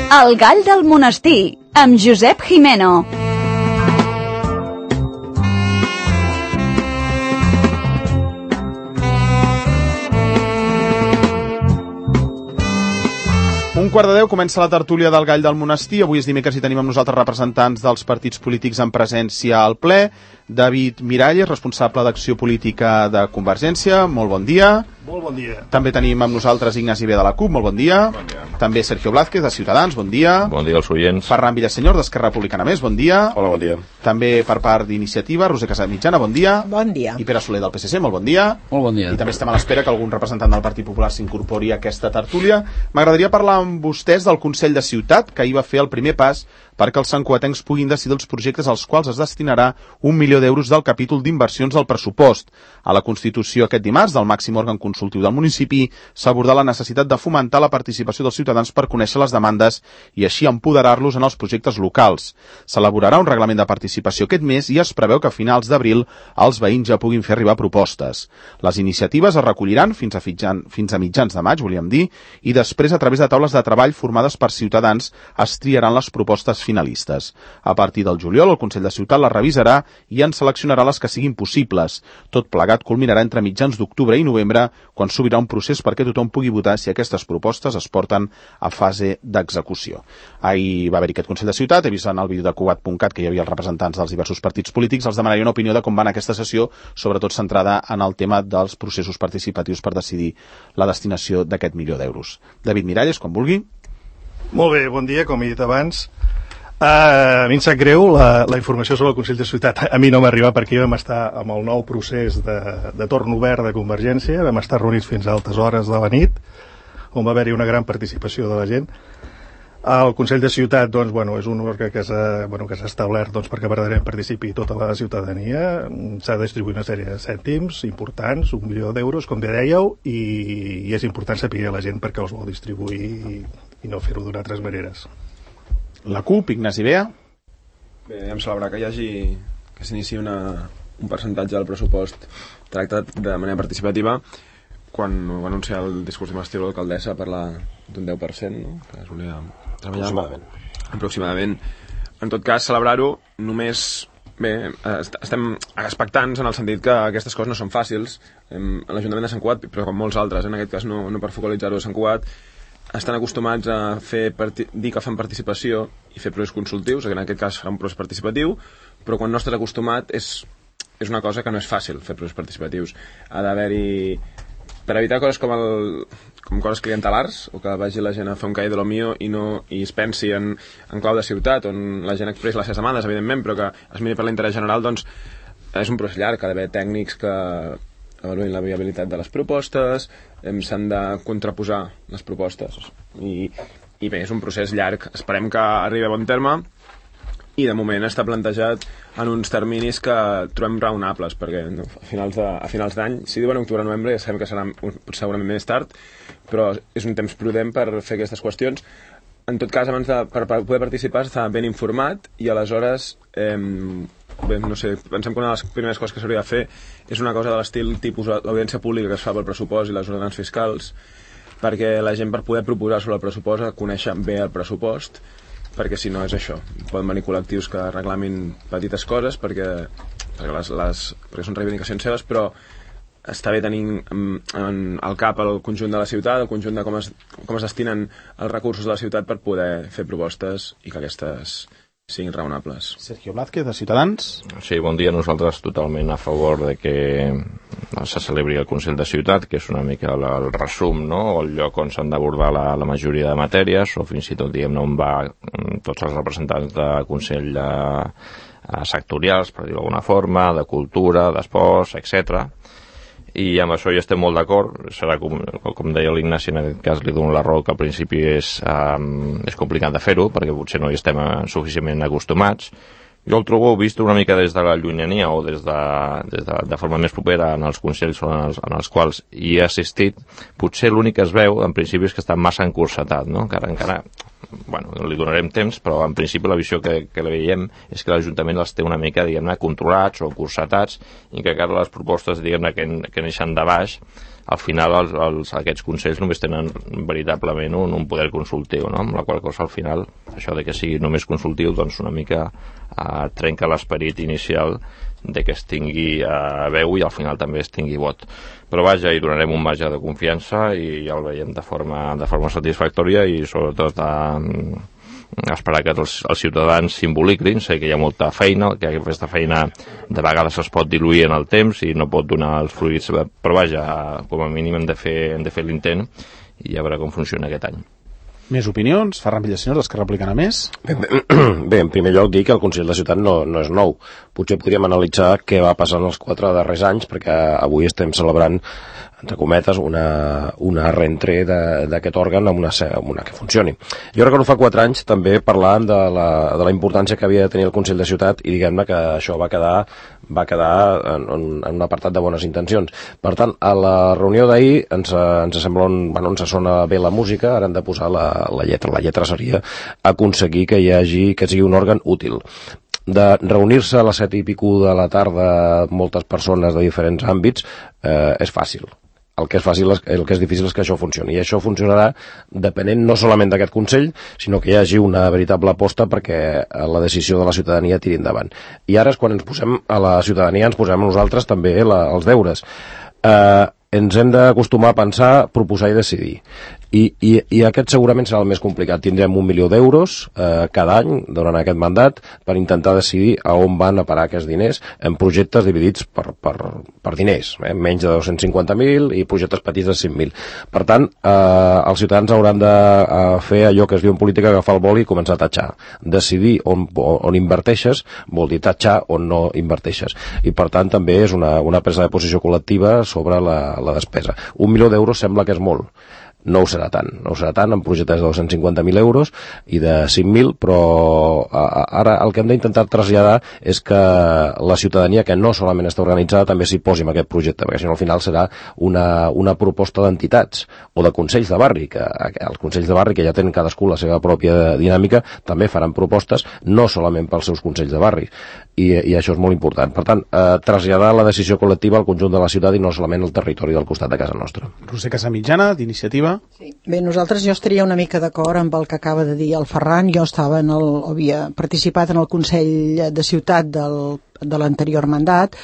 El gall del monestir, amb Josep Jimeno. Un quart de 10 comença la tertúlia del gall del monestir. Avui és dimecres i tenim amb nosaltres representants dels partits polítics en presència al ple. David Miralles, responsable d'acció política de Convergència. Molt bon dia. Molt bon dia. També tenim amb nosaltres Ignasi B de la CUP. Molt bon dia. Bon dia. També Sergio Blázquez de Ciutadans. Bon dia. Bon dia als oients. Ferran Villasenyor d'Esquerra Republicana Més. Bon dia. Hola, bon dia. També per part d'Iniciativa, Roser Casamitjana. Bon dia. Bon dia. I Pere Soler del PSC. Molt bon dia. Molt bon dia. I també estem a l'espera que algun representant del Partit Popular s'incorpori a aquesta tertúlia. M'agradaria parlar amb vostès del Consell de Ciutat, que ahir va fer el primer pas perquè els santcugatencs puguin decidir els projectes als quals es destinarà 1 milió d'euros del capítol d'inversions del pressupost. A la Constitució aquest dimarts del màxim òrgan consultiu del municipi s'ha abordat la necessitat de fomentar la participació dels ciutadans per conèixer les demandes i així empoderar-los en els projectes locals. S'elaborarà un reglament de participació aquest mes i es preveu que a finals d'abril els veïns ja puguin fer arribar propostes. Les iniciatives es recolliran fins a mitjans de maig, volíem dir, i després a través de taules de treball formades per ciutadans es triaran les propostes finalistes. A partir del juliol, el Consell de Ciutat les revisarà i en seleccionarà les que siguin possibles. Tot plegat culminarà entre mitjans d'octubre i novembre, quan s'obrirà un procés perquè tothom pugui votar si aquestes propostes es porten a fase d'execució. Ahir va haver-hi aquest Consell de Ciutat, he vist en el vídeo de Cugat.cat que hi havia els representants dels diversos partits polítics, els demanaria una opinió de com va anar aquesta sessió, sobretot centrada en el tema dels processos participatius per decidir la destinació d'aquest milió d'euros. David Miralles, com vulgui. Molt bé, bon dia, com he dit abans. A mi em sap greu la informació sobre el Consell de Ciutat. A mi no m'arriba perquè vam estar amb el nou procés de torn obert de Convergència, vam estar reunits fins a altes hores de la nit, on va haver-hi una gran participació de la gent. El Consell de Ciutat, doncs, és un òrgan que s'ha establert perquè verdaderament participi tota la ciutadania. S'ha de distribuir una sèrie de cèntims importants, 1 milió d'euros, com bé dèieu, i és important saber a la gent perquè els vol distribuir i no fer-ho d'una altres maneres. La CUP, Ignasi Bea. Bé, em celebrar que s'iniciï un percentatge del pressupost tractat de manera participativa quan va anunciar el discurs d'investidura de l'alcaldessa parlar d'un 10%, no? Que es volia treballar aproximadament. En tot cas, celebrar-ho només... Bé, estem expectants en el sentit que aquestes coses no són fàcils. L'Ajuntament de Sant Cugat, però com molts altres, en aquest cas no per focalitzar-ho a Sant Cugat, estan acostumats a dir que fan participació i fer processos consultius, en aquest cas farà un procés participatiu, però quan no estàs acostumat és una cosa que no és fàcil fer processos participatius. Ha d'haver-hi... Per evitar coses com coses clientelars, o que vagi la gent a fer un cahier de lo mío i es pensi en clau de ciutat, on la gent expressa les seves demandes, evidentment, però que es miri per l'interès general, doncs és un procés llarg, ha d'haver tècnics que avaluïn la viabilitat de les propostes, s'han de contraposar les propostes i bé, és un procés llarg, esperem que arribi a bon terme i de moment està plantejat en uns terminis que trobem raonables perquè a finals d'any, si diuen octubre-novembre ja sabem que serà segurament més tard, però és un temps prudent per fer aquestes qüestions. En tot cas, per poder participar s'està ben informat i aleshores bé, no sé, pensem que una de les primeres coses que s'hauria de fer és una cosa de l'estil tipus l'audiència pública que es fa pel pressupost i les ordenances fiscals, perquè la gent per poder proposar sobre el pressupost ha de conèixer bé el pressupost, perquè si no és això, poden venir col·lectius que reclamin petites coses perquè són reivindicacions seves, però està bé tenir al cap el conjunt de la ciutat, el conjunt de com es destinen els recursos de la ciutat per poder fer propostes i que aquestes siguin raonables. Sergio Blázquez, de Ciutadans. Sí, bon dia. Nosaltres totalment a favor de que se celebri el Consell de Ciutat, que és una mica el resum, no? El lloc on s'han d'abordar la majoria de matèries, o fins i tot, diguem-ne, on va tots els representants de Consell sectorials, per dir-ho d'alguna forma, de cultura, d'esports, etc. I amb això ja estem molt d'acord. Serà com deia l'Ignasi, en aquest cas li dono la raó que al principi és complicat de fer-ho perquè potser no hi estem suficientment acostumats. Jo el trobo vist una mica des de la llunyania o des de forma més propera en els consells en els quals hi he assistit. Potser l'únic que es veu en principi és que està massa encursetat, no? Encara li donarem temps, però en principi la visió que veiem és que l'Ajuntament els té una mica, diguem-ne, controlats o cursetats i que encara les propostes, diguem-ne, que neixen de baix al final aquests consells només tenen veritablement un poder consultiu, no? Amb la qual cosa al final això de que sigui només consultiu doncs una mica trenca l'esperit inicial de que es tingui veu i al final també es tingui vot. Però vaja, hi donarem un marge de confiança i ja el veiem de forma satisfactòria i sobretot esperar que els ciutadans s'involucrin. Sé que hi ha molta feina, que aquesta feina de vegades es pot diluir en el temps i no pot donar els fruits, però vaja, com a mínim hem de fer l'intent i ja veure com funciona aquest any. Més opinions? Ferran Villaseñor, d'Esquerra Republicana Més? Bé, en primer lloc dir que el Consell de Ciutat no és nou. Potser podríem analitzar què va passar en els 4 darrers anys, perquè avui estem celebrant, entre cometes, una reentré d'aquest òrgan amb una que funcioni. Jo recordo fa 4 anys també parlant de la importància que havia de tenir el Consell de Ciutat i diguem-ne que això va quedar en un apartat de bones intencions. Per tant, a la reunió d'ahir ens sembla ens sona bé la música, ara hem de posar la lletra. La lletra seria aconseguir que sigui un òrgan útil. De reunir-se a les 7 i pico de la tarda moltes persones de diferents àmbits és fàcil. El que és difícil és que això funcioni, i això funcionarà depenent no solament d'aquest Consell, sinó que hi hagi una veritable aposta perquè la decisió de la ciutadania tiri endavant. I ara és quan ens posem a la ciutadania, ens posem a nosaltres també els deures. Ens hem d'acostumar a pensar, proposar i decidir. I aquest segurament serà el més complicat. Tindrem 1 milió d'euros cada any durant aquest mandat per intentar decidir a on van a parar aquests diners en projectes dividits per diners, menys de 250.000 i projectes petits de 100.000. Per tant, els ciutadans hauran de fer allò que es diu en política, agafar el boli i començar a tatxar. Decidir on inverteixes vol dir tatxar on no inverteixes. I per tant també és una presa de posició col·lectiva sobre la despesa. 1 milió d'euros sembla que és molt. No ho serà tant en projectes de 250.000 euros i de 5.000, però ara el que hem d'intentar traslladar és que la ciutadania, que no solament està organitzada, també s'hi posi en aquest projecte, perquè si no al final serà una proposta d'entitats o de consells de barri, que els consells de barri, que ja tenen cadascú la seva pròpia dinàmica, també faran propostes no solament pels seus consells de barri, i això és molt important. Per tant, traslladar la decisió col·lectiva al conjunt de la ciutat i no solament al territori del costat de casa nostra. Roser Casamitjana, d'Iniciativa. Sí. Bé, jo estaria una mica d'acord amb el que acaba de dir el Ferran. Jo havia participat en el Consell de Ciutat de l'anterior mandat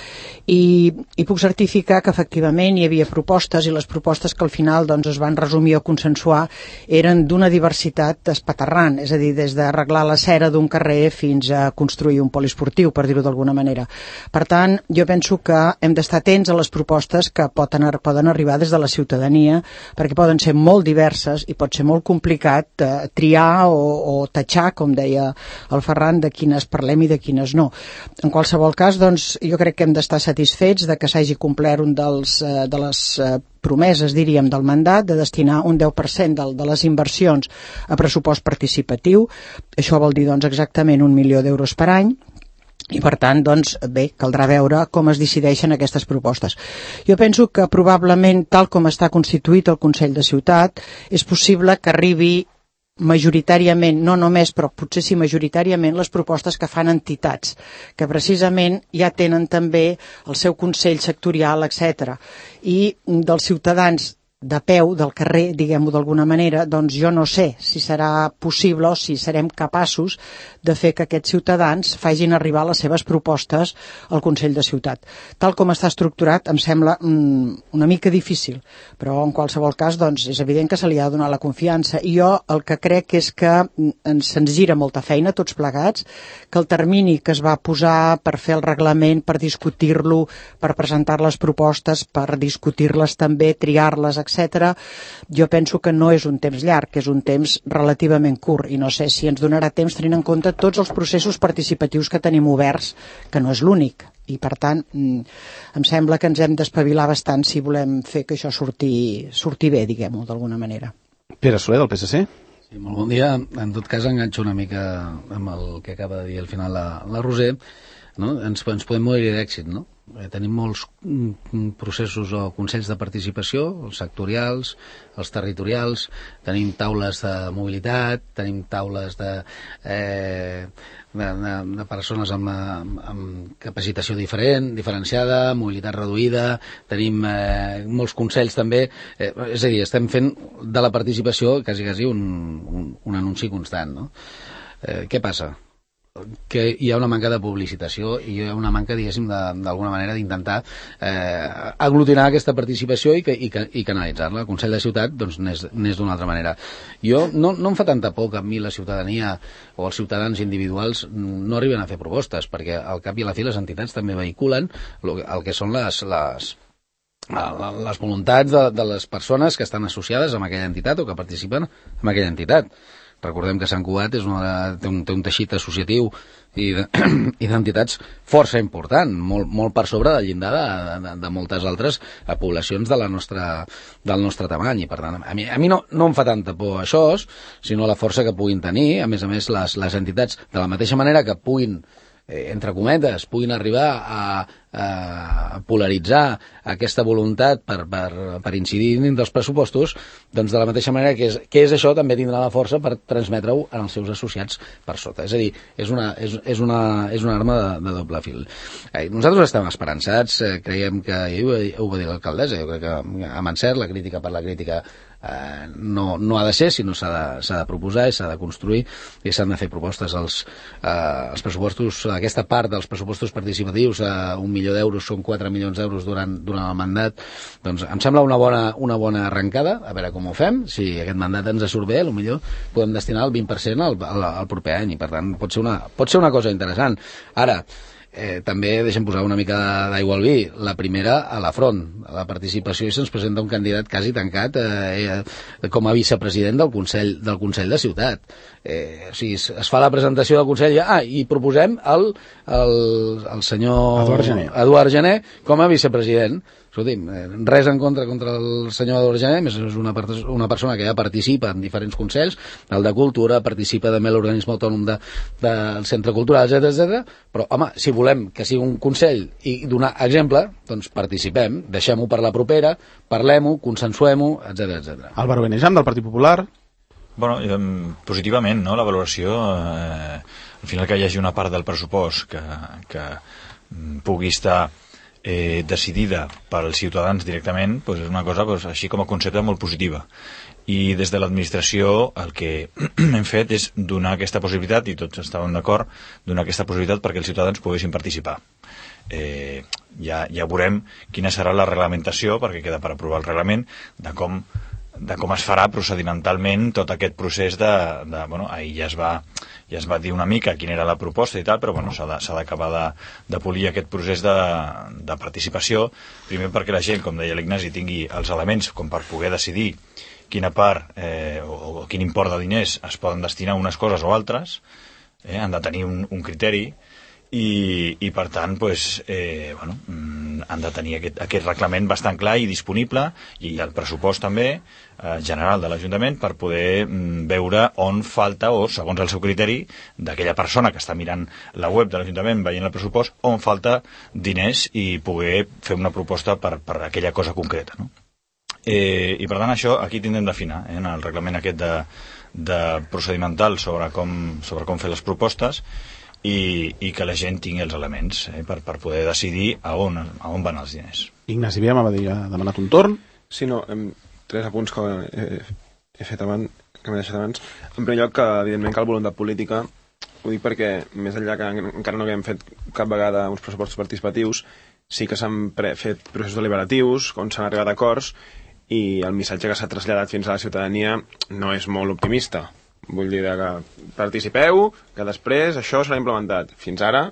i puc certificar que efectivament hi havia propostes, i les propostes que al final es van resumir o consensuar eren d'una diversitat espaterrant, és a dir, des d'arreglar la cera d'un carrer fins a construir un poliesportiu, per dir-ho d'alguna manera. Per tant, jo penso que hem d'estar atents a les propostes que poden arribar des de la ciutadania, perquè poden ser molt diverses i pot ser molt complicat triar o tatxar, com deia el Ferran, de quines parlem i de quines no. En qualsevol cas, jo crec que hem d'estar satisfets de que s'hagi complert un de les promeses, diríem, del mandat, de destinar un 10% de les inversions a pressupost participatiu. Això vol dir exactament 1 milió d'euros per any. I per tant, bé, caldrà veure com es decideixen aquestes propostes. Jo penso que probablement, tal com està constituït el Consell de Ciutat, és possible que arribi majoritàriament, no només, però potser sí majoritàriament, les propostes que fan entitats, que precisament ja tenen també el seu consell sectorial, etc. I dels ciutadans de peu, del carrer, diguem-ho d'alguna manera, jo no sé si serà possible o si serem capaços de fer que aquests ciutadans facin arribar les seves propostes al Consell de Ciutat. Tal com està estructurat em sembla una mica difícil, però en qualsevol cas és evident que se li ha de donar la confiança, i jo el que crec és que se'ns gira molta feina tots plegats, que el termini que es va posar per fer el reglament, per discutir-lo, per presentar les propostes, per discutir-les també, triar-les, etc., jo penso que no és un temps llarg, que és un temps relativament curt, i no sé si ens donarà temps tenint en compte tots els processos participatius que tenim oberts, que no és l'únic, i per tant em sembla que ens hem d'espavilar bastant si volem fer que això surti bé, diguem-ho d'alguna manera. Pere Soler, del PSC. Sí, molt bon dia. En tot cas, enganxo una mica amb el que acaba de dir al final la Roser, no? Ens podem morir d'èxit, no? Tenim molts processos o consells de participació, els sectorials, els territorials, tenim taules de mobilitat, tenim taules de persones amb capacitació diferenciada, mobilitat reduïda, tenim molts consells també, és a dir, estem fent de la participació quasi un anunci constant, no? Què passa? Que hi ha una manca de publicitació i hi ha una manca, diguéssim, d'alguna manera d'intentar aglutinar aquesta participació i canalitzar-la. El Consell de Ciutat doncs n'és d'una altra manera. Jo no em fa tanta por que a mi la ciutadania o els ciutadans individuals no arriben a fer propostes, perquè al cap i a la fi les entitats també vehiculen el que són les voluntats de les persones que estan associades amb aquella entitat o que participen en aquella entitat. Recordem que Sant Cugat té un teixit associatiu i d'entitats força important, molt per sobre del llindar de moltes altres poblacions del nostre tamany. I per tant, a mi no em fa tanta por això, sinó la força que puguin tenir. A més, les entitats, de la mateixa manera que puguin, entre cometes, puguin arribar a polaritzar aquesta voluntat per incidir dins dels pressupostos, doncs de la mateixa manera que és això, també tindrà la força per transmetre-ho als seus associats per sota. És a dir, és una arma de doble fil. Nosaltres estem esperançats, creiem que, ho va dir l'alcaldessa, jo crec que amb encert, la crítica per la crítica no ha de ser, sinó s'ha de proposar i s'ha de construir i s'han de fer propostes. Els pressupostos, aquesta part dels pressupostos participatius, 1 milió d'euros són 4 milions d'euros durant el mandat, doncs em sembla una bona arrencada. A veure com ho fem. Si aquest mandat ens surt bé, potser podem destinar el 20% al proper any, i per tant pot ser una cosa interessant. Ara, també deixem posar una mica d'aigua al vi. La primera, a la front, a la participació, i se'ns presenta un candidat quasi tancat com a vicepresident del Consell de Ciutat. O sigui, es fa la presentació del Consell i proposem el senyor Eduard Gené com a vicepresident. Escolti'm, res en contra el senyor Eduard Gené, més és una persona que ja participa en diferents consells, el de Cultura, participa també a l'organisme autònom del Centre Cultural, etc. Però, home, si volem que sigui un consell i donar exemple, doncs participem, deixem-ho per la propera, parlem-ho, consensuem-ho, etc. Álvaro Benejam, del Partit Popular. Bueno, positivament, no?, la valoració, al final que hi hagi una part del pressupost que pugui estar decidida pels ciutadans directament, doncs és una cosa així com a concepte molt positiva. I des de l'administració el que hem fet és donar aquesta possibilitat, i tots estàvem d'acord, donar aquesta possibilitat perquè els ciutadans poguessin participar. Ja veurem quina serà la reglamentació, perquè queda per aprovar el reglament, de com es farà procedimentalment tot aquest procés ahir ja es va dir una mica quina era la proposta i tal, però s'ha d'acabar de polir aquest procés de participació, primer perquè la gent, com deia l'Ignasi, tingui els elements com per poder decidir quina part o quin import de diners es poden destinar a unes coses o altres, han de tenir un criteri, i per tant han de tenir aquest reglament bastant clar i disponible, i el pressupost també general de l'Ajuntament, per poder veure on falta, o segons el seu criteri d'aquella persona que està mirant la web de l'Ajuntament veient el pressupost, on falta diners i poder fer una proposta per aquella cosa concreta, no? I per tant això aquí tindrem d'afinar en el reglament aquest de procedimental sobre com fer les propostes, i que la gent tingui els elements per poder decidir a on van els diners. Ignasi Via m'ha demanat un torn. Sí, no, 3 apunts que he fet abans, que m'he deixat abans. En primer lloc, que evidentment cal voluntat política. Ho dic perquè, més enllà que encara no havíem fet cap vegada uns pressupostos participatius, sí que s'han fet processos deliberatius, on s'han arribat a acords, i el missatge que s'ha traslladat fins a la ciutadania no és molt optimista. Vull dir que participeu, que després això serà implementat. Fins ara,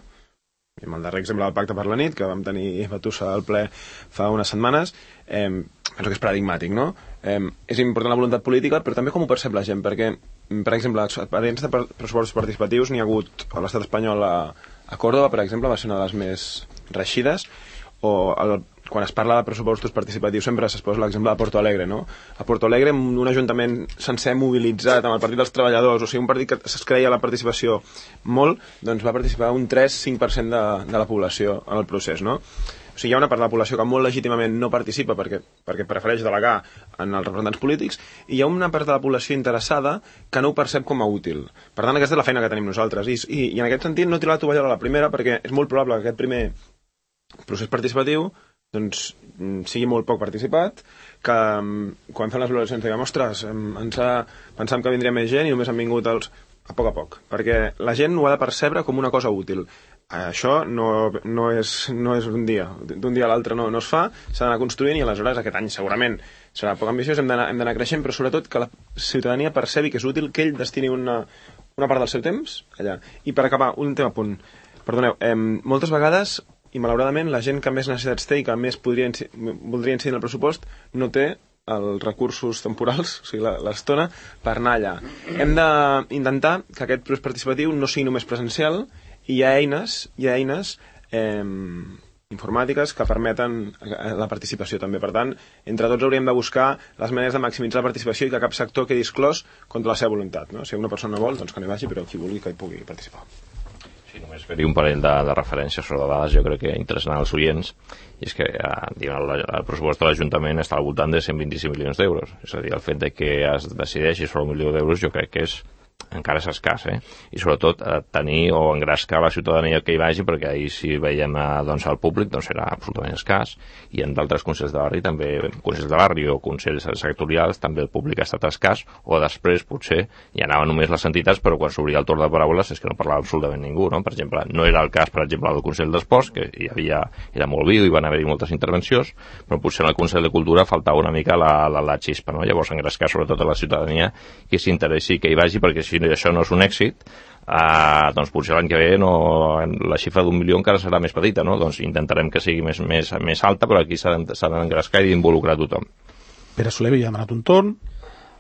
amb el darrer exemple del Pacte per la Nit, que vam tenir batussa al ple fa unes setmanes, penso que és paradigmàtic, no? És important la voluntat política, però també com ho percep la gent, perquè, per exemple, experiències de pressupostos participatius n'hi ha hagut a l'estat espanyol, a Còrdova, per exemple, va ser una de les més reeixides, o quan es parla de pressupostos participatius sempre es posa l'exemple de Porto Alegre, no? A Porto Alegre, un ajuntament sencer mobilitzat amb el Partit dels Treballadors, o sigui, un partit que es creia la participació molt, doncs va participar un 3-5% de la població en el procés, no? O sigui, hi ha una part de la població que molt legítimament no participa perquè prefereix delegar en els representants polítics, i hi ha una part de la població interessada que no ho percep com a útil. Per tant, aquesta és la feina que tenim nosaltres. I en aquest sentit no he tirat la tovallola a la primera, perquè és molt probable que aquest primer procés participatiu doncs, sigui molt poc participat, que quan fem les valoracions diguem, ostres, pensàvem que vindria més gent i només han vingut els... a poc, perquè la gent ho ha de percebre com una cosa útil. Això no és un dia. D'un dia a l'altre no es fa, s'ha d'anar construint, i aleshores aquest any segurament serà poc ambiciós, hem d'anar creixent, però sobretot que la ciutadania percebi que és útil que ell destini una part del seu temps allà. I per acabar, un tema a punt. Perdoneu, moltes vegades, i malauradament, la gent que més necessitats té i que més voldria incidir en el pressupost no té els recursos temporals, o sigui, l'estona, per anar allà. Hem d'intentar que aquest procés participatiu no sigui només presencial, i hi ha eines informàtiques que permeten la participació també. Per tant, entre tots hauríem de buscar les maneres de maximitzar la participació i que cap sector quedi exclòs contra la seva voluntat. No? Si una persona no vol, doncs que no hi vagi, però qui vulgui que hi pugui participar. Sí, només fer-hi un parell de referències sobre dades, jo crec que interessant als oients, i és que el pressupost de l'Ajuntament està al voltant de 125 milions d'euros. És a dir, el fet de que es decideixi sobre 1 milió d'euros jo crec que encara és escàs, i sobretot tenir o engrescar la ciutadania que hi vagi, perquè ahir si veiem doncs, el públic doncs serà absolutament escàs, i en d'altres consells de barri també, consells de barri o consells sectorials també el públic ha estat escàs, o després potser hi anaven només les entitats, però quan s'obria el torn de paraules és que no parlava absolutament ningú, no? Per exemple, no era el cas, per exemple, del Consell d'Esports, que era molt viu i van haver-hi moltes intervencions, però potser en el Consell de Cultura faltava una mica la xispa, no? Llavors engrescar sobretot a la ciutadania que s'interessi que hi vagi, perquè si això no és un èxit, doncs potser l'any que ve la xifra d'1 milió encara serà més petita, no? Doncs intentarem que sigui més alta, però aquí s'ha d'engrescar i d'involucrar tothom. Pere Soler havia demanat un torn.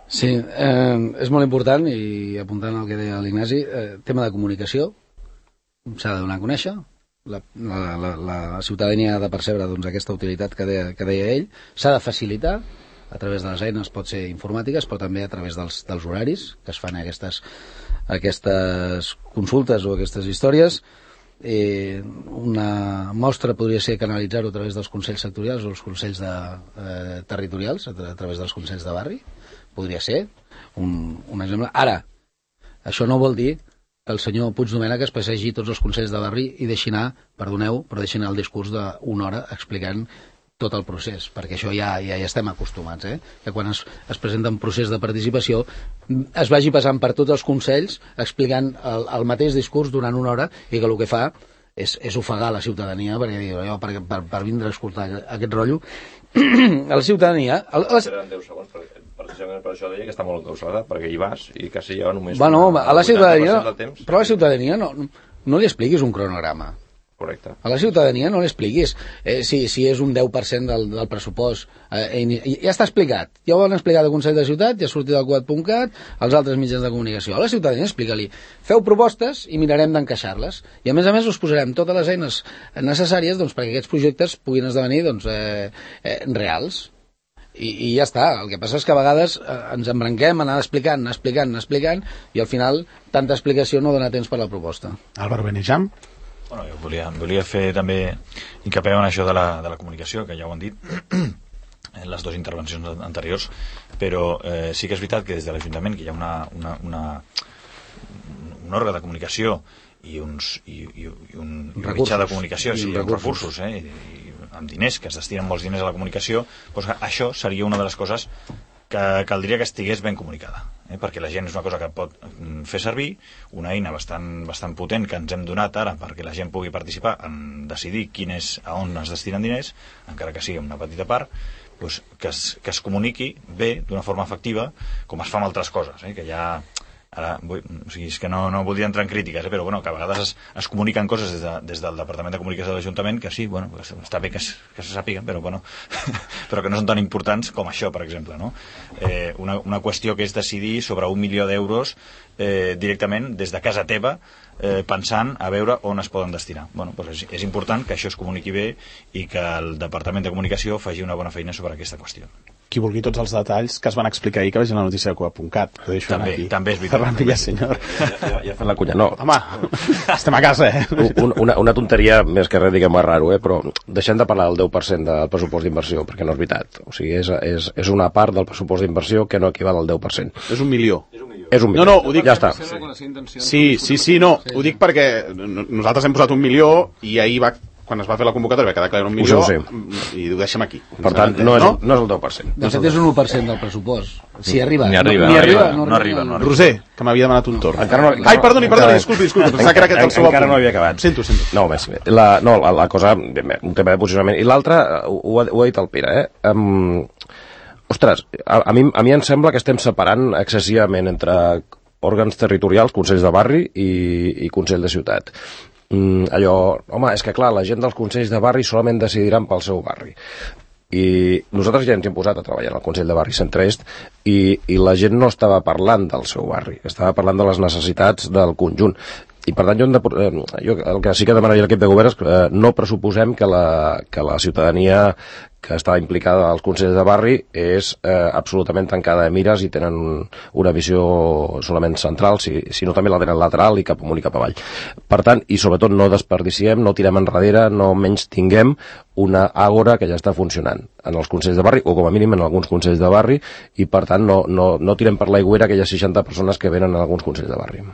Sí, és molt important, i apuntant al que deia l'Ignasi, tema de comunicació, s'ha de donar a conèixer, la ciutadania ha de percebre doncs, aquesta utilitat que deia ell, s'ha de facilitar a través de les eines, pot ser informàtiques, però també a través dels horaris que es fan aquestes consultes o aquestes històries. Una mostra podria ser canalitzar-ho a través dels consells sectorials o els consells territorials, a través dels consells de barri. Podria ser un exemple. Ara, això no vol dir que el senyor Puigdomènech es passegi tots els consells de barri i deixi anar, perdoneu, però deixi anar el discurs d'una hora explicant tot el procés, perquè això ja estem acostumats, que quan es presenta un procés de participació es vagi passant per tots els consells explicant el mateix discurs durant una hora, i que el que fa és ofegar la ciutadania, perquè per vindre a escoltar aquest rotllo a la ciutadania... Eren 10 segons, precisament per això deia que està molt encausalat, perquè hi vas i quasi ja només... Bueno, a la ciutadania... Però a la ciutadania no li expliquis un cronograma. Correcte. A la ciutadania no l'expliquis si és un 10% del pressupost, ja està explicat, ja ho han explicat al Consell de Ciutat, ja ha sortit al Cuat.cat, als altres mitjans de comunicació. A la ciutadania explica-li, feu propostes i mirarem d'encaixar-les, i a més us posarem totes les eines necessàries doncs, perquè aquests projectes puguin esdevenir doncs, reals. I ja està, el que passa és que a vegades ens embranquem, anar explicant, i al final tanta explicació no dona temps per la proposta. Álvaro Benejam. Bueno, jo volia fer també hincapié en això de la comunicació, que ja ho han dit en les dues intervencions anteriors, però sí que és veritat que des de l'Ajuntament, que hi ha un òrgan de comunicació i un mitjà de comunicació, sí, amb recursos, i amb diners, que es destinen molts diners a la comunicació, doncs això seria una de les coses que caldria que estigués ben comunicada, perquè la gent és una cosa que pot fer servir, una eina bastant potent que ens hem donat ara perquè la gent pugui participar en decidir a on es destinen diners, encara que sigui una petita part, doncs que es comuniqui bé, d'una forma efectiva, com es fa amb altres coses, que ja... Ara, és que no voldria entrar en crítiques, però bueno, que a vegades es comuniquen coses des del Departament de Comunicació de l'Ajuntament que sí, bueno, està bé que se sàpiguen, però bueno, però que no són tan importants com això, per exemple, no? Una qüestió que és decidir sobre 1 milió d'euros directament des de casa teva, pensant a veure on es poden destinar. Bueno, doncs és important que això es comuniqui bé i que el Departament de Comunicació faci una bona feina sobre aquesta qüestió. Qui vulgui tots els detalls que es van explicar ahir, que vegi la notícia de Cuat.cat. També és veritat. Ferran Villaseñor. Ja fent la cunya, no. Home, estem a casa, Una tonteria, més que res, diguem-ho raro, però deixem de parlar del 10% del pressupost d'inversió, perquè no és veritat. O sigui, és una part del pressupost d'inversió que no equival al 10%. És 1 milió. És 1 milió. No, ho dic... Ja està. Sí, no. Ho dic perquè nosaltres hem posat 1 milió i ahir quan es va fer la convocatòria va quedar clar 1 milió i ho deixem aquí. Per tant, no és el 10%. De fet, és un 1% del pressupost. Si arriba. Ni arriba. Roser, que m'havia demanat un torn. Ai, perdoni, disculpi. Pensava que era aquest el seu encara no havia acabat. Sento. No, més. La cosa, un tema de posicionament. I l'altre, ho ha dit el Pere, ostres, a mi em sembla que estem separant excessivament entre òrgans territorials, consells de barri i consell de ciutat. Home, és que clar, la gent dels consells de barri solament decidiran pel seu barri. I nosaltres ja ens hem posat a treballar al Consell de Barri Centre-Est i la gent no estava parlant del seu barri, estava parlant de les necessitats del conjunt. I per tant jo el que sí que demanaria a l'equip de govern és que no pressuposem que la ciutadania que està implicada als consells de barri és absolutament tancada de mires i tenen una visió solament central, sinó també la tenen lateral i cap amunt i cap avall. Per tant, i sobretot no desperdiciem, no tirem enrere, no menys tinguem una àgora que ja està funcionant en els consells de barri, o com a mínim en alguns consells de barri, i per tant no tirem per l'aigüera aquelles 60 persones que venen en alguns consells de barri.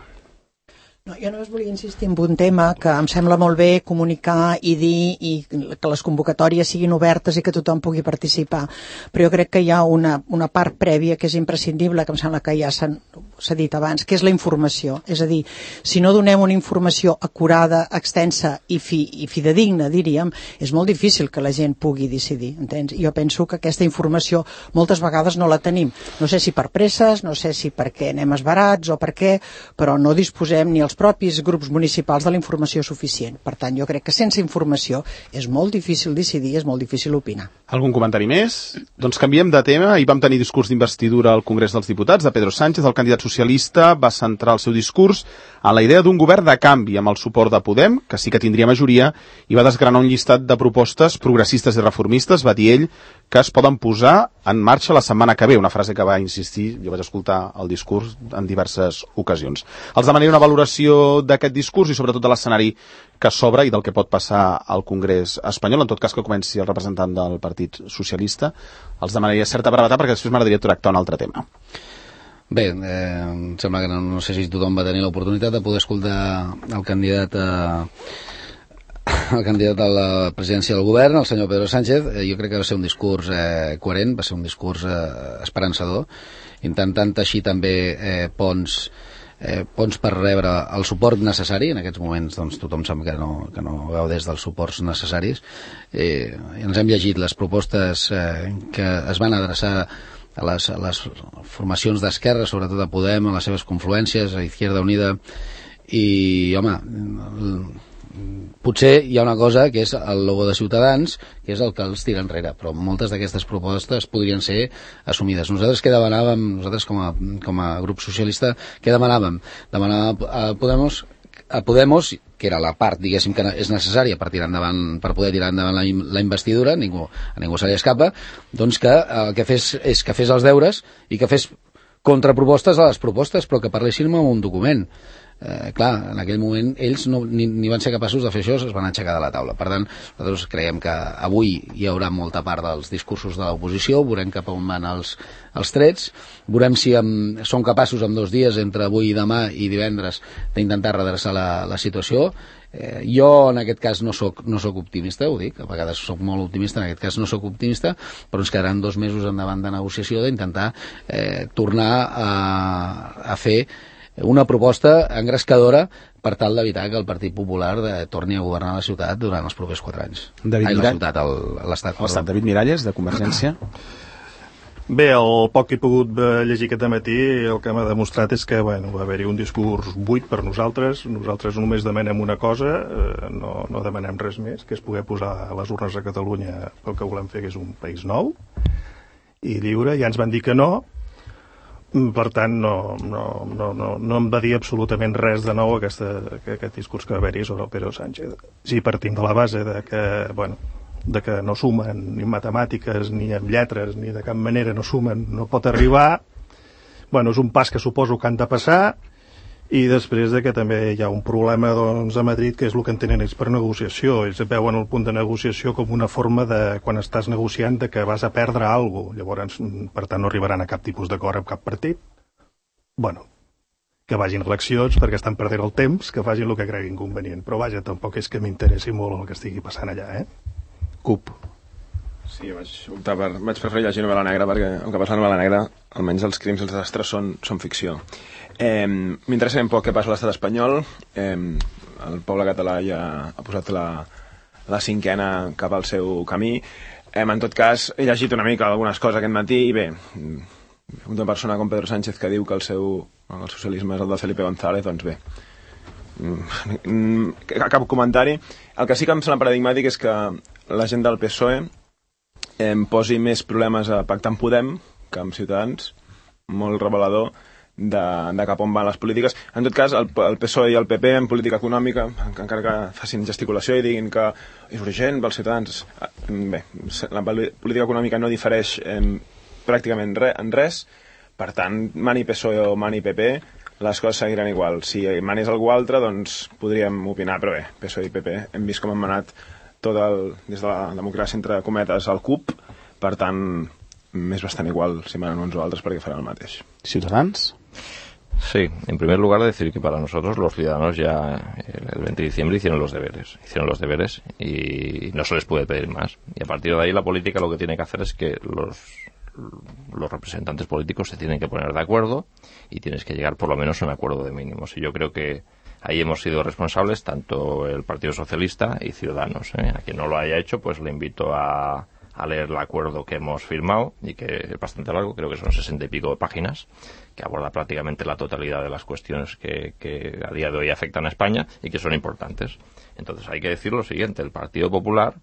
No, jo només volia insistir en un tema que em sembla molt bé comunicar i dir i que les convocatòries siguin obertes i que tothom pugui participar, però jo crec que hi ha una part prèvia que és imprescindible, que em sembla que ja s'ha dit abans, que és la informació. És a dir, si no donem una informació acurada, extensa i fidedigna, diríem, és molt difícil que la gent pugui decidir, entens? Jo penso que aquesta informació moltes vegades no la tenim. No sé si per presses, no sé si perquè anem esbarats o per què, però no disposem ni els propis grups municipals de la informació suficient. Per tant, jo crec que sense informació és molt difícil decidir, és molt difícil opinar. Algun comentari més? Doncs canviem de tema. Ahir vam tenir discurs d'investidura al Congrés dels Diputats de Pedro Sánchez. El candidat socialista va centrar el seu discurs en la idea d'un govern de canvi amb el suport de Podem, que sí que tindria majoria, i va desgranar un llistat de propostes progressistes i reformistes, va dir ell, que es poden posar en marxa la setmana que ve, una frase que va insistir, jo vaig escoltar el discurs en diverses ocasions. Els demanaria una valoració d'aquest discurs i sobretot de l'escenari que s'obre i del que pot passar al Congrés espanyol, en tot cas que comenci el representant del Partit Socialista. Els demanaria certa brevetat perquè després m'agradaria tractar un altre tema. Bé, em sembla que no sé si tothom va tenir l'oportunitat de poder escoltar el candidat a la presidència del govern, el senyor Pedro Sánchez. Jo crec que va ser un discurs coherent, va ser un discurs esperançador, intentant teixir també ponts per rebre el suport necessari. En aquests moments doncs, tothom sap que no gaudeix dels suports necessaris. Ens hem llegit les propostes que es van adreçar a les formacions d'esquerra, sobretot a Podem, a les seves confluències, a Izquierda Unida, i, home, potser hi ha una cosa que és el logo de Ciutadans, que és el que els tira enrere, però moltes d'aquestes propostes podrien ser assumides. Nosaltres què demanàvem, nosaltres com a grup socialista, què demanàvem? Demanàvem a Podemos, que era la part, diguéssim, que és necessària per poder tirar endavant la investidura, a ningú se li escapa, doncs que el que fes és que fes els deures i que fes contrapropostes a les propostes, però que parlessin amb un document. Clar, en aquell moment ells ni van ser capaços de fer això, es van aixecar de la taula. Per tant, nosaltres creiem que avui hi haurà molta part dels discursos de l'oposició, veurem cap on van els trets, veurem si són capaços en 2 dies, entre avui i demà i divendres, d'intentar redreçar la situació. Jo en aquest cas no soc optimista, ho dic, a vegades soc molt optimista, en aquest cas no soc optimista, però ens quedaran 2 mesos endavant de negociació d'intentar tornar a fer una proposta engrescadora per tal d'evitar que el Partit Popular torni a governar la ciutat durant els propers 4 anys. L'Estat. David Miralles, de Convergència. Bé, el poc que he pogut llegir aquest matí, el que m'ha demostrat és que va haver-hi un discurs buit per nosaltres. Nosaltres només demanem una cosa, no demanem res més, que és poder posar les urnes a Catalunya pel que volem fer, que és un país nou i lliure. Ja ens van dir que no. Per tant, no em va dir absolutament res de nou aquest discurs que va haver-hi sobre el Pedro Sánchez. Si partim de la base de que no sumen ni matemàtiques ni amb lletres, ni de cap manera no sumen, no pot arribar, Bueno, és un pas que suposo que han de passar, i després de que també hi ha un problema doncs, a Madrid, que és el que entenen ells per negociació. Ells veuen el punt de negociació com una forma de, quan estàs negociant, de que vas a perdre alguna cosa. Llavors, per tant, no arribaran a cap tipus d'acord amb cap partit. Bueno, que vagin eleccions perquè estan perdent el temps, que facin el que creguin convenient. Però vaja, tampoc és que m'interessi molt el que estigui passant allà, CUP. Sí, vaig preferir llegir novel·la negra perquè el que passa a la novel·la negra, almenys els crims i els desastres són ficció. M'interessa ben poc què passa a l'estat espanyol. El poble català ja ha posat la cinquena cap al seu camí. En tot cas, he llegit una mica algunes coses aquest matí i bé, una persona com Pedro Sánchez que diu que el socialisme és el de Felipe González, doncs bé, cap comentari. El que sí que em sembla paradigmàtic és que la gent del PSOE posi més problemes a pactar amb Podem que amb Ciutadans, molt revelador de cap on van les polítiques. En tot cas, el PSOE i el PP en política econòmica, encara que facin gesticulació i diguin que és urgent pels ciutadans, bé, la política econòmica no difereix pràcticament en res, per tant, mani PSOE o mani PP, les coses seguiran igual. Si manés algú altre, doncs podríem opinar, però bé, PSOE i PP hem vist com han manat des de la democràcia entre cometes al CUP, per tant, m'és bastant igual si manen uns o altres perquè faran el mateix. Ciutadans? Sí, en primer lugar decir que para nosotros los ciudadanos ya el 20 de diciembre hicieron los deberes y no se les puede pedir más. Y a partir de ahí la política lo que tiene que hacer es que los representantes políticos se tienen que poner de acuerdo y tienes que llegar por lo menos a un acuerdo de mínimos. Y yo creo que ahí hemos sido responsables tanto el Partido Socialista y Ciudadanos. A quien no lo haya hecho, pues le invito a leer el acuerdo que hemos firmado y que es bastante largo, creo que son 60 y pico de páginas, que aborda prácticamente la totalidad de las cuestiones que a día de hoy afectan a España y que son importantes. Entonces hay que decir lo siguiente, el Partido Popular,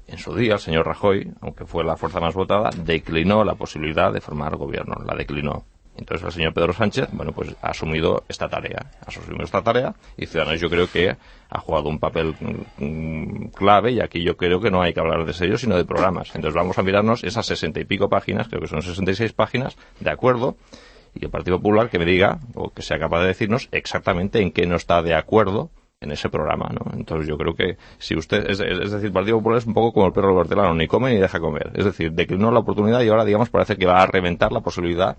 en su día, el señor Rajoy, aunque fue la fuerza más votada, declinó la posibilidad de formar gobierno, la declinó. Entonces el señor Pedro Sánchez, bueno, pues ha asumido esta tarea y Ciudadanos yo creo que ha jugado un papel clave y aquí yo creo que no hay que hablar de sellos sino de programas. Entonces vamos a mirarnos esas 60 y pico páginas, creo que son 66 páginas de acuerdo y el Partido Popular que me diga o que sea capaz de decirnos exactamente en qué no está de acuerdo en ese programa, ¿no? Entonces yo creo que si usted, es decir, el Partido Popular es un poco como el perro hortelano, ni come ni deja comer. Es decir, declinó la oportunidad y ahora, digamos, parece que va a reventar la posibilidad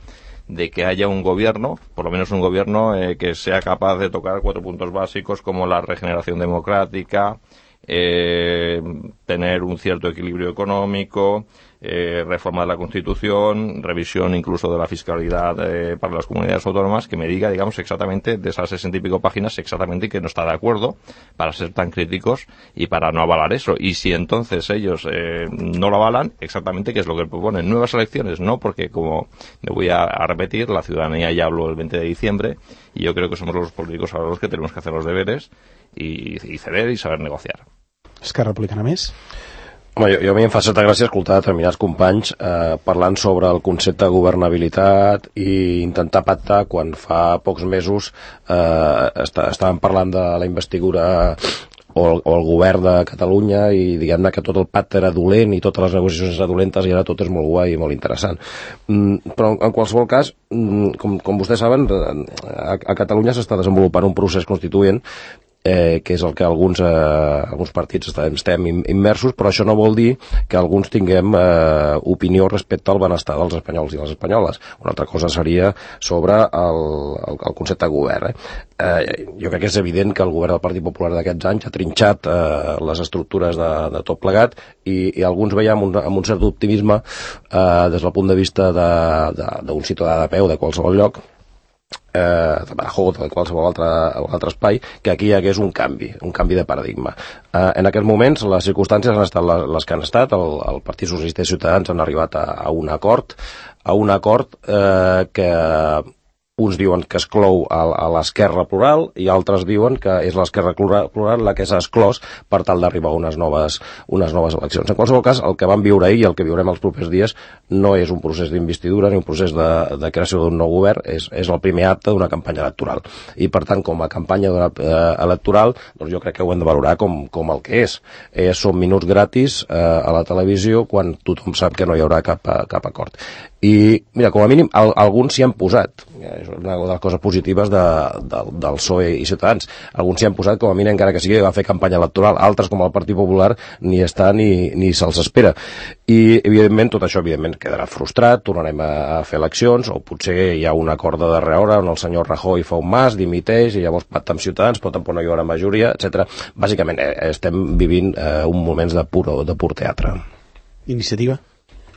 de que haya un gobierno, por lo menos un gobierno que sea capaz de tocar 4 puntos básicos como la regeneración democrática, tener un cierto equilibrio económico, reforma de la Constitución, revisión incluso de la fiscalidad para las comunidades autónomas, que me diga, digamos, exactamente de esas 60 y pico páginas, exactamente que no está de acuerdo para ser tan críticos y para no avalar eso. Y si entonces ellos no lo avalan, exactamente qué es lo que proponen. Nuevas elecciones, no, porque como me voy a repetir, la ciudadanía ya habló el 20 de diciembre y yo creo que somos los políticos ahora los que tenemos que hacer los deberes y ceder y saber negociar. Esquerra Republicana més? Home, jo a mi em fa certa gràcia escoltar determinats companys parlant sobre el concepte de governabilitat i intentar pactar quan fa pocs mesos estàvem parlant de la investidura o el govern de Catalunya i diguem-ne que tot el pacte era dolent i totes les negociacions eren dolentes i ara tot és molt guai i molt interessant. Però en qualsevol cas, com vostès saben, a Catalunya s'està desenvolupant un procés constituent que és el que alguns partits estem immersos, però això no vol dir que alguns tinguem opinió respecte al benestar dels espanyols i les espanyoles. Una altra cosa seria sobre el concepte de govern. Jo crec que és evident que el govern del Partit Popular d'aquests anys ha trinxat les estructures de tot plegat i alguns veiem amb un cert optimisme des del punt de vista d'un ciutadà de peu de qualsevol lloc, de Badajoz o de qualsevol altre espai, que aquí hi hagués un canvi de paradigma. En aquests moments les circumstàncies han estat les que han estat. El Partit Socialista i Ciutadans han arribat a un acord que uns diuen que exclou a l'esquerra plural i altres diuen que és l'esquerra plural la que s'ha exclòs per tal d'arribar a unes noves eleccions. En qualsevol cas, el que vam viure ahir i el que viurem els propers dies no és un procés d'investidura ni un procés de creació d'un nou govern, és el primer acte d'una campanya electoral. I, per tant, com a campanya electoral, doncs jo crec que ho hem de valorar com el que és. Són minuts gratis a la televisió quan tothom sap que no hi haurà cap acord. I, mira, com a mínim, alguns s'hi han posat. És una de les coses positives del PSOE i Ciutadans. Alguns s'hi han posat, com a mínim, encara que sigui a fer campanya electoral. Altres, com el Partit Popular, ni està ni se'ls espera. I, evidentment, tot això, evidentment, quedarà frustrat, tornarem a fer eleccions, o potser hi ha un acord de darrera hora on el senyor Rajoy fa un mas, dimiteix, i llavors pacta amb Ciutadans, però tampoc no hi haurà majoria, etc. Bàsicament, estem vivint un moments de pur teatre. Iniciativa?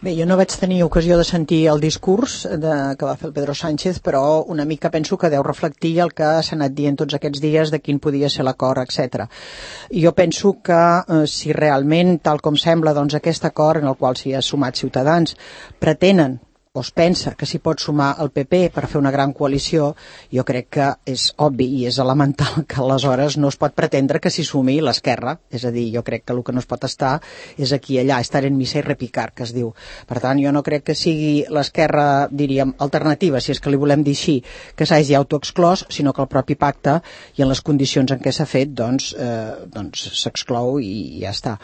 Bé, jo no vaig tenir ocasió de sentir el discurs que va fer el Pedro Sánchez, però una mica penso que deu reflectir el que s'ha anat dient tots aquests dies de quin podia ser l'acord, etc. Jo penso que si realment, tal com sembla, doncs aquest acord en el qual s'hi ha sumat Ciutadans, pretenen o es pensa que s'hi pot sumar el PP per fer una gran coalició, jo crec que és obvi i és elemental que aleshores no es pot pretendre que s'hi sumi l'esquerra. És a dir, jo crec que el que no es pot estar és aquí i allà, estar en missa i repicar, que es diu. Per tant, jo no crec que sigui l'esquerra, diríem, alternativa, si és que li volem dir així, que s'hagi autoexclòs, sinó que el propi pacte i en les condicions en què s'ha fet, doncs s'exclou i ja està.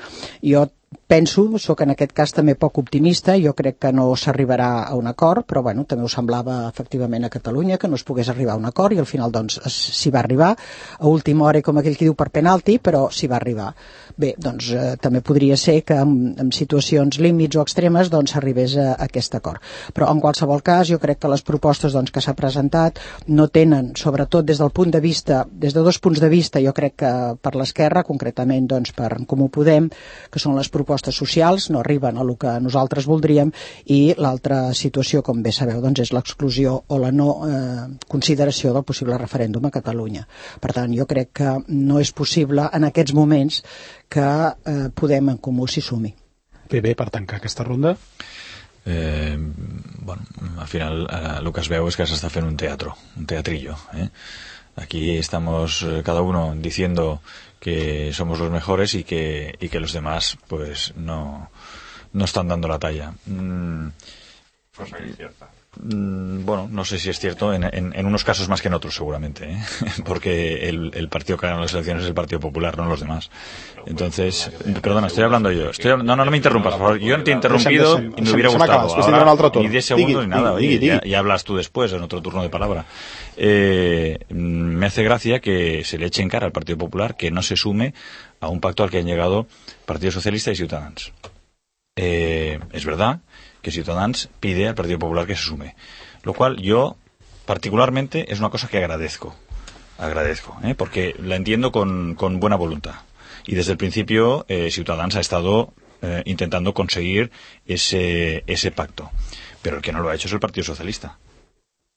Jo penso, sóc en aquest cas també poc optimista, jo crec que no s'arribarà a un acord, però bueno, també ho semblava efectivament a Catalunya que no es pogués arribar a un acord i al final doncs s'hi va arribar a última hora, com aquell que diu per penalti, però s'hi va arribar. Bé, doncs també podria ser que en situacions límits o extremes doncs s'arribés a aquest acord. Però en qualsevol cas jo crec que les propostes doncs, que s'ha presentat no tenen, sobretot des del punt de vista, des de dos punts de vista, jo crec que per l'esquerra, concretament doncs per En Comú Podem, que són les propostes socials, no arriben a el que nosaltres voldríem, i l'altra situació, com bé sabeu, doncs és l'exclusió o la no consideració del possible referèndum a Catalunya. Per tant, jo crec que no és possible en aquests moments que Podem En Comú s'hi sumi. Bé, per tancar aquesta ronda. Bueno, al final lo que es veu és que s'està fent un teatrillo. Aquí estamos cada uno diciendo que somos los mejores y que los demás pues no están dando la talla. Cosa que es cierta. Bueno, no sé si es cierto, en unos casos más que en otros seguramente, porque el partido que gana las elecciones es el Partido Popular, no los demás. Entonces, perdona, estoy hablando yo. No me interrumpas, por favor. Yo no te he interrumpido y me hubiera gustado. Ahora, ni 10 segundos ni nada. Ya hablas tú después, en otro turno de palabra. Me hace gracia que se le eche en cara al Partido Popular que no se sume a un pacto al que han llegado Partido Socialista y Ciudadanos. Es verdad que Ciudadanos pide al Partido Popular que se sume, lo cual yo particularmente es una cosa que agradezco, porque la entiendo con buena voluntad, y desde el principio Ciudadanos ha estado intentando conseguir ese pacto, pero el que no lo ha hecho es el Partido Socialista.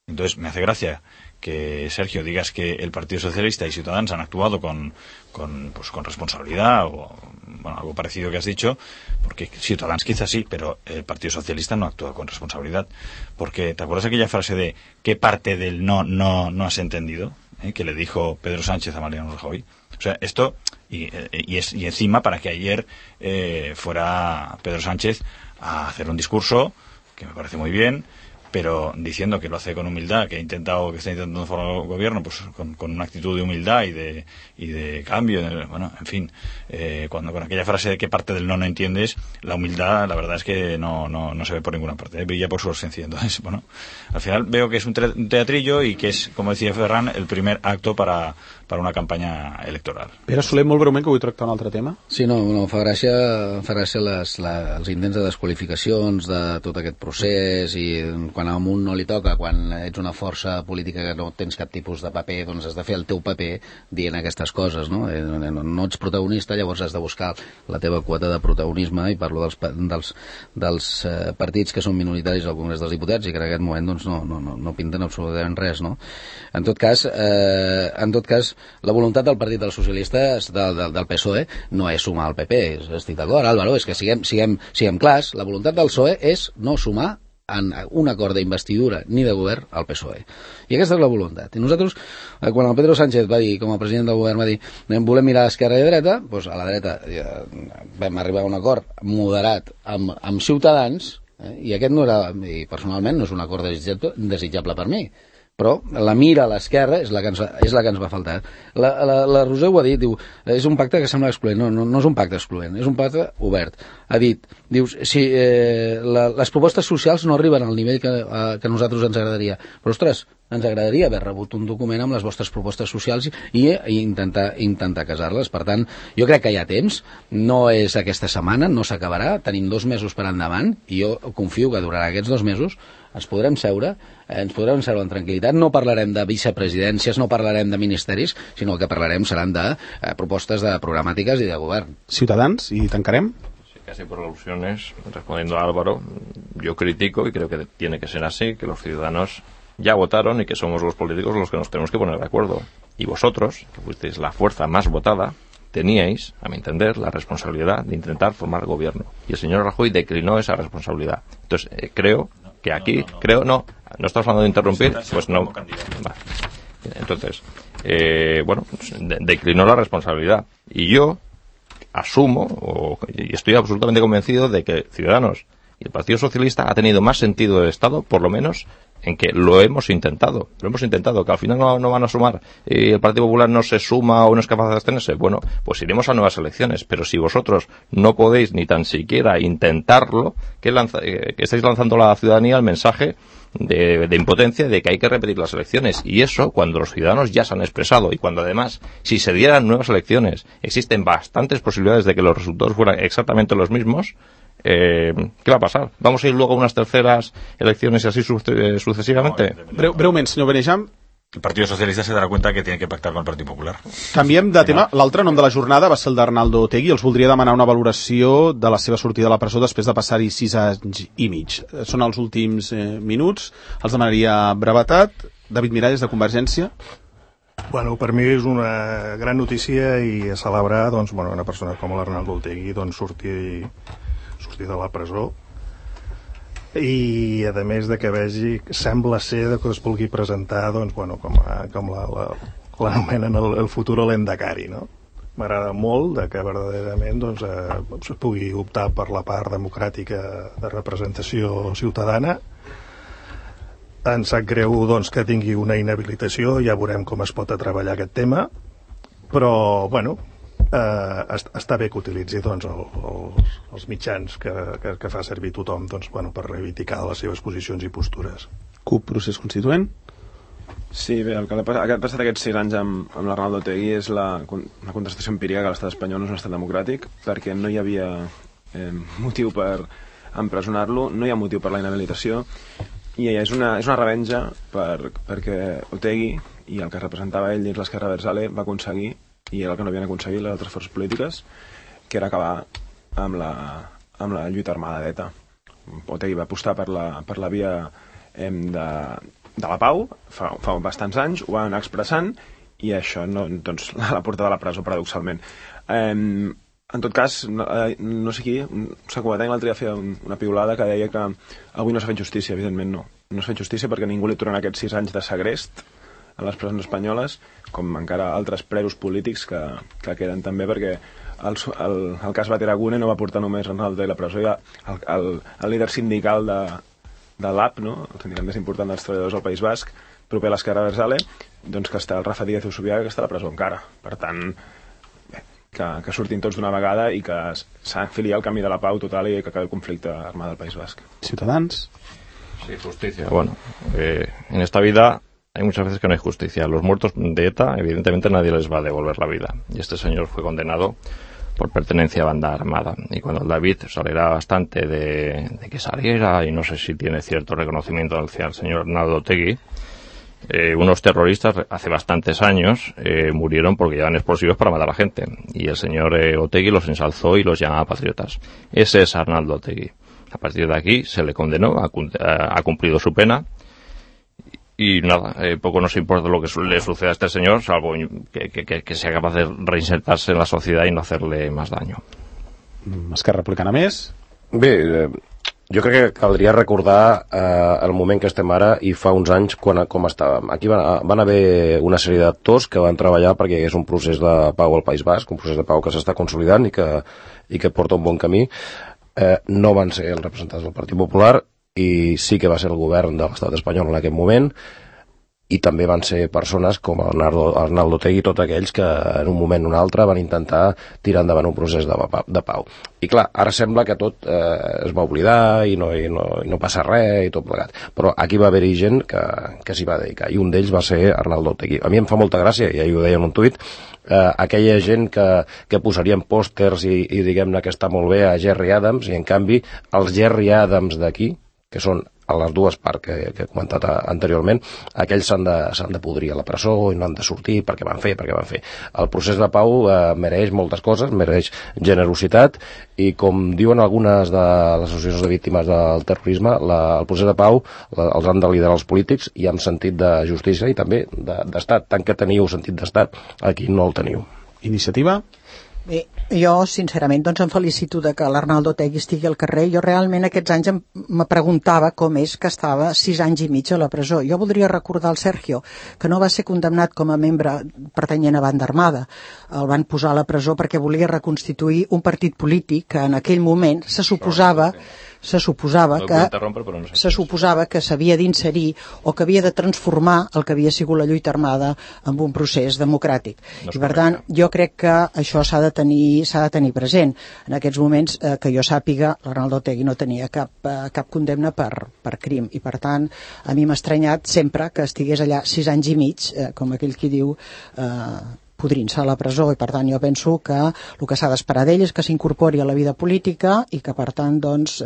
Entonces me hace gracia que, Sergio, digas que el Partido Socialista y Ciudadanos han actuado con responsabilidad o bueno, algo parecido que has dicho, porque Ciudadanos quizás sí, pero el Partido Socialista no actúa con responsabilidad. Porque, ¿te acuerdas aquella frase de qué parte del no has entendido? Que le dijo Pedro Sánchez a Mariano Rajoy. O sea, esto, y encima para que ayer fuera Pedro Sánchez a hacer un discurso, que me parece muy bien, pero diciendo que lo hace con humildad, que está intentando formar el gobierno pues con una actitud de humildad y de cambio, bueno, en fin, cuando con aquella frase de qué parte del no entiendes, la humildad, la verdad es que no se ve por ninguna parte, brilla por su ausencia. Entonces, bueno, al final veo que es un teatrillo y que es, como decía Ferran, el primer acto para una campanya electoral. Pere Soler, molt breument, que vull tractar un altre tema. Sí, no, fa gràcia els intents de desqualificacions de tot aquest procés, i quan a un no li toca, quan ets una força política que no tens cap tipus de paper, doncs has de fer el teu paper dient aquestes coses, no? No ets protagonista, llavors has de buscar la teva quota de protagonisme, i parlo dels partits que són minoritaris al Congrés dels Diputats i que en aquest moment doncs, no pinten absolutament res, no? En tot cas, la voluntat del Partit dels Socialistes, del PSOE, no és sumar al PP. Estic d'acord, Álvaro, és que siguem clars, la voluntat del PSOE és no sumar en un acord d'investidura ni de govern al PSOE. I aquesta és la voluntat. I nosaltres, quan el Pedro Sánchez va dir, com a president del govern, va dir volem mirar a esquerra i a dreta, doncs a la dreta vam arribar a un acord moderat amb Ciutadans, i aquest no era, i personalment no és un acord desitjable per mi, però la mira a l'esquerra és la que ens va faltar. La Roser ho ha dit, diu, és un pacte que sembla excloent. No és un pacte excloent, és un pacte obert. Ha dit, dius, si les propostes socials no arriben al nivell que a nosaltres ens agradaria, però ostres, ens agradaria haver rebut un document amb les vostres propostes socials i intentar casar-les. Per tant, jo crec que hi ha temps, no és aquesta setmana, no s'acabarà, tenim 2 mesos per endavant i jo confio que durant aquests 2 mesos ens podrem seure en tranquil·litat, no parlarem de vicepresidències, no parlarem de ministeris, sinó que parlarem seran de propostes de programàtiques i de govern. Ciutadans, y tancarem. Sí, casi por alusiones, respondiendo a Álvaro, yo critico, y creo que tiene que ser así, que los ciudadanos ya votaron y que somos los políticos los que nos tenemos que poner de acuerdo. Y vosotros, que fuisteis la fuerza más votada, teníais, a mi entender, la responsabilidad de intentar formar gobierno. Y el señor Rajoy declinó esa responsabilidad. Entonces, creo que aquí, no estamos hablando de interrumpir, pues no. Vale. Entonces, bueno, declinó la responsabilidad. Y yo asumo, y estoy absolutamente convencido de que Ciudadanos y el Partido Socialista ha tenido más sentido de Estado, por lo menos, en que lo hemos intentado, que al final no van a sumar y el Partido Popular no se suma o no es capaz de abstenerse. Bueno, pues iremos a nuevas elecciones, pero si vosotros no podéis ni tan siquiera intentarlo, que estáis lanzando a la ciudadanía el mensaje de impotencia de que hay que repetir las elecciones, y eso cuando los ciudadanos ya se han expresado, y cuando además, si se dieran nuevas elecciones, existen bastantes posibilidades de que los resultados fueran exactamente los mismos. ¿Qué va a pasar? ¿Vamos a ir luego a unas terceras elecciones y así sucesivamente? Breument, senyor Benejam. El Partido Socialista se dará cuenta que tiene que pactar con el Partido Popular. Canviem de tema. L'altre nom de la jornada va ser el d'Arnaldo Otegi. Els voldria demanar una valoració de la seva sortida a la presó després de passar-hi 6 anys i mig. Són els últims minuts. Els demanaria brevetat. David Miralles, de Convergència. Bueno, per mi és una gran notícia i a celebrar, doncs, bueno, una persona com l'Arnaldo Otegi sortir de la presó, i a més de que vegi, sembla ser que es vulgui presentar, doncs, bueno, com l'anomenen el futur Lendakari, no? M'agrada molt que verdaderament doncs, es pugui optar per la part democràtica de representació ciutadana. Em sap greu doncs, que tingui una inhabilitació, ja veurem com es pot treballar aquest tema, però bueno, està bé que utilitzi doncs, els mitjans que fa servir tothom doncs, bueno, per reivindicar les seves posicions i postures. CUP, procés constituent? Sí, bé, el que ha passat aquests 6 anys amb l'Arnaldo Otegi és una contestació empírica que l'estat espanyol no és un estat democràtic, perquè no hi havia motiu per empresonar-lo, no hi ha motiu per la inhabilitació, i és una revenja perquè Otegi i el que representava ell dins l'Esquerra Abertzale va aconseguir, i era el que no havien aconseguit les altres forces polítiques, que era acabar amb la lluita armada d'ETA. Otegi va apostar per la via de la pau fa bastants anys, ho va anar expressant, i això doncs, l'ha portat a la presó, paradoxalment. En tot cas, no sé qui, Sacuatenc l'altre dia feia una piulada que deia que avui no s'ha fet justícia. Evidentment no s'ha fet justícia perquè ningú li aturarà aquests 6 anys de segrest a les presons espanyoles, com encara altres presos polítics que queden també, perquè el cas Bateragune no va portar només Arnaldo a la presó, ja el líder sindical de l'AP, no? El sindicat més important dels treballadors del País Basc, proper a l'Esquerra Abertzale, doncs que està el Rafa Díaz Usubiaga, que està a la presó encara. Per tant, que surtin tots d'una vegada i que s'enfili al camí de la pau total i que acabi el conflicte armat del País Basc. Ciutadans. Sí, justicia. Bueno, en esta vida hay muchas veces que no hay justicia. Los muertos de ETA, evidentemente nadie les va a devolver la vida. Y este señor fue condenado por pertenencia a banda armada. Y cuando el David se alegra bastante de que saliera, y no sé si tiene cierto reconocimiento hacia el señor Arnaldo Otegi, unos terroristas hace bastantes años murieron porque llevaban explosivos para matar a la gente. Y el señor Otegi los ensalzó y los llamaba patriotas. Ese es Arnaldo Otegi. A partir de aquí se le condenó, ha cumplido su pena. Y nada, poco nos importa lo que le suceda a este señor, salvo que sea capaz de reinsertarse en la sociedad y no hacerle más daño. Esquerra Republicana més? Bé, Jo crec que caldria recordar el moment que estem ara i fa uns anys com estàvem. Aquí van haver una sèrie d'actors que van treballar perquè hi hagués un procés de pau al País Basc, un procés de pau que s'està consolidant i que porta un bon camí. No van ser els representants del Partit Popular i sí que va ser el govern de l'estat espanyol en aquest moment, i també van ser persones com Arnaldo Otegi, tots aquells que en un moment o un altre van intentar tirar endavant un procés de pau. I clar, ara sembla que tot es va oblidar i no passa res i tot plegat. Però aquí va haver-hi gent que s'hi va dedicar, i un d'ells va ser Arnaldo Otegi. A mi em fa molta gràcia, i ahir ho deia en un tuit, aquella gent que posarien pòsters i diguem-ne que està molt bé a Gerry Adams, i en canvi els Gerry Adams d'aquí, que són a les dues parts que he comentat anteriorment, aquells s'han de podrir a la presó i no han de sortir perquè van fer. El procés de pau mereix moltes coses, mereix generositat, i com diuen algunes de les associacions de víctimes del terrorisme, el procés de pau els han de liderar els polítics i amb sentit de justícia i també d'estat. Tant que teniu sentit d'estat, aquí no el teniu. Iniciativa? Bé, jo, sincerament, doncs em felicito de que l'Arnaldo Otegi estigui al carrer. Jo realment aquests anys me preguntava com és que estava 6 anys i mig a la presó. Jo voldria recordar al Sergio que no va ser condemnat com a membre pertanyent a banda armada. El van posar a la presó perquè volia reconstituir un partit polític que en aquell moment se suposava que s'havia d'inserir o que havia de transformar el que havia sigut la lluita armada en un procés democràtic. I per tant, jo crec que això s'ha de tenir present. En aquests moments, que jo sàpiga, l'Arnaldo Otegi no tenia cap condemna per crim, i per tant a mi m'ha estranyat sempre que estigués allà 6 anys i mig, com aquell qui diu, podrint-se a la presó, i per tant jo penso que el que s'ha d'esperar d'ell és que s'incorpori a la vida política i que per tant doncs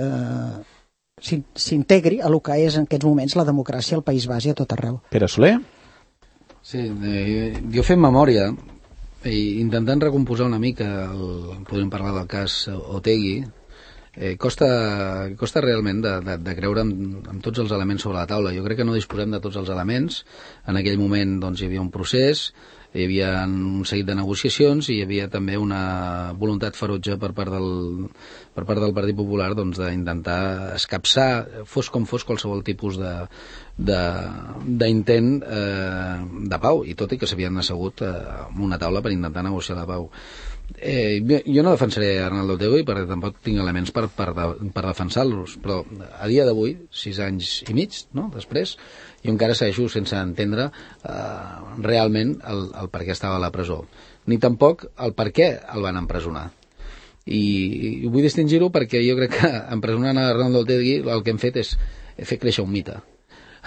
s'integri a el que és en aquests moments la democràcia al País Basc i a tot arreu. Pere Soler? Sí, jo fent memòria i intentant recomposar una mica, podríem parlar del cas Otegi, costa realment de creure en tots els elements sobre la taula. Jo crec que no disposem de tots els elements. En aquell moment doncs, hi havia un procés, hi havia un seguit de negociacions i hi havia també una voluntat ferotge per part del Partit Popular doncs, d'intentar escapçar, fos com fos, qualsevol tipus d'intent de pau, i tot i que s'havien assegut en una taula per intentar negociar la pau. Jo no defensaré Arnaldo Otegi perquè tampoc tinc elements per defensar-los, però a dia d'avui, 6 anys i mig, no? Després, jo encara segueixo sense entendre realment el per què estava a la presó, ni tampoc el per què el van empresonar. I vull distingir-ho perquè jo crec que empresonant a Arnaldo Otegi el que hem fet és fer créixer un mite.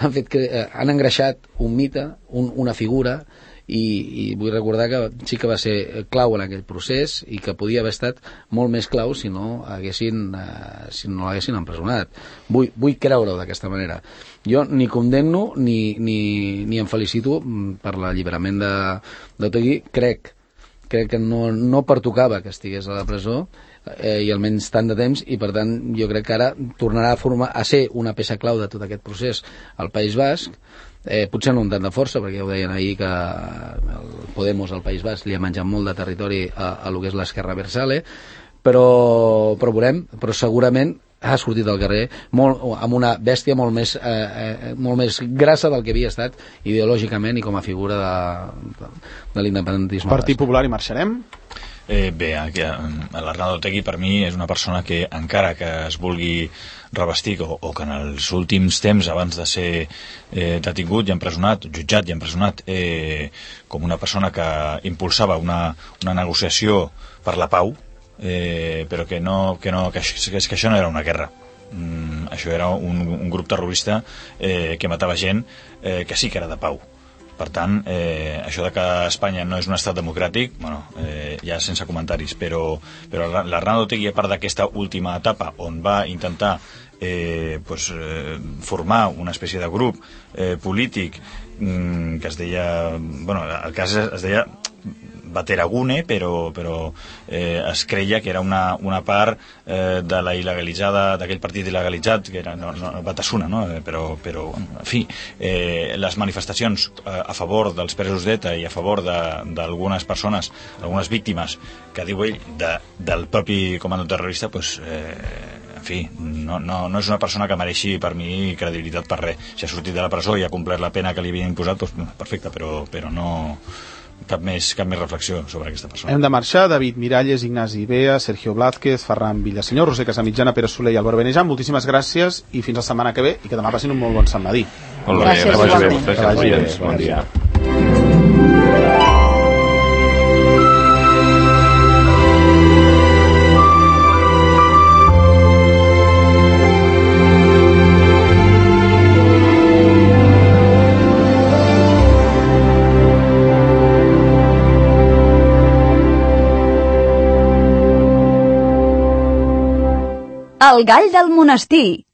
Han engreixat un mite, una figura, i vull recordar que sí que va ser clau en aquell procés i que podia haver estat molt més clau si no l'haguessin empresonat. Vull creure-ho d'aquesta manera. Jo ni condemno ni em felicito per l'alliberament d'Otegi. Crec que no pertocava que estigués a la presó i almenys tant de temps, i per tant jo crec que ara tornarà a ser una peça clau de tot aquest procés al País Basc. Potser no amb tant de força, perquè ja ho deien ahir que el Podemos al País Basc li ha menjat molt de territori a lo que és l'esquerra Abertzale, però veurem, però segurament ha sortit al carrer amb una bèstia molt més grassa del que havia estat ideològicament i com a figura de l'independentisme. Partit Popular, i marxarem? Bé, l'Arnaldo Otegi per mi és una persona que, encara que es vulgui revestir o que en els últims temps, abans de ser detingut i empresonat, jutjat i empresonat, com una persona que impulsava una negociació per la pau, però que això no era una guerra. Això era un grup terrorista que matava gent que sí que era de pau. Per tant, això de que Espanya no és un estat democràtic, bueno, ja sense comentaris, però l'Arnaldo Otegi, a part d'aquesta última etapa on va intentar formar una espècie de grup polític que es deia, bueno, el cas es deia Bateragune, però es creia que era una part de la il·legalitzada, d'aquell partit il·legalitzat, que era Batasuna, no? Però en fi, les manifestacions a favor dels presos d'ETA i a favor d'algunes persones, algunes víctimes, que diu ell, del propi comando terrorista, en fi, no és una persona que mereixi per mi credibilitat per res. Si ha sortit de la presó i ha complert la pena que li havien imposat, doncs perfecte, però no cap més reflexió sobre aquesta persona. Hem de marxar. David Miralles, Ignasi Bea, Sergio Blázquez, Ferran Villasenyor, Roser Casamitjana, Pere Soler i Albert Benejan, moltíssimes gràcies i fins la setmana que ve, i que demà passin un molt bon Sant Madí. Molt bé, Gràcies, que vagi bé, igualment. vostès, bon dia. El gall del monestir,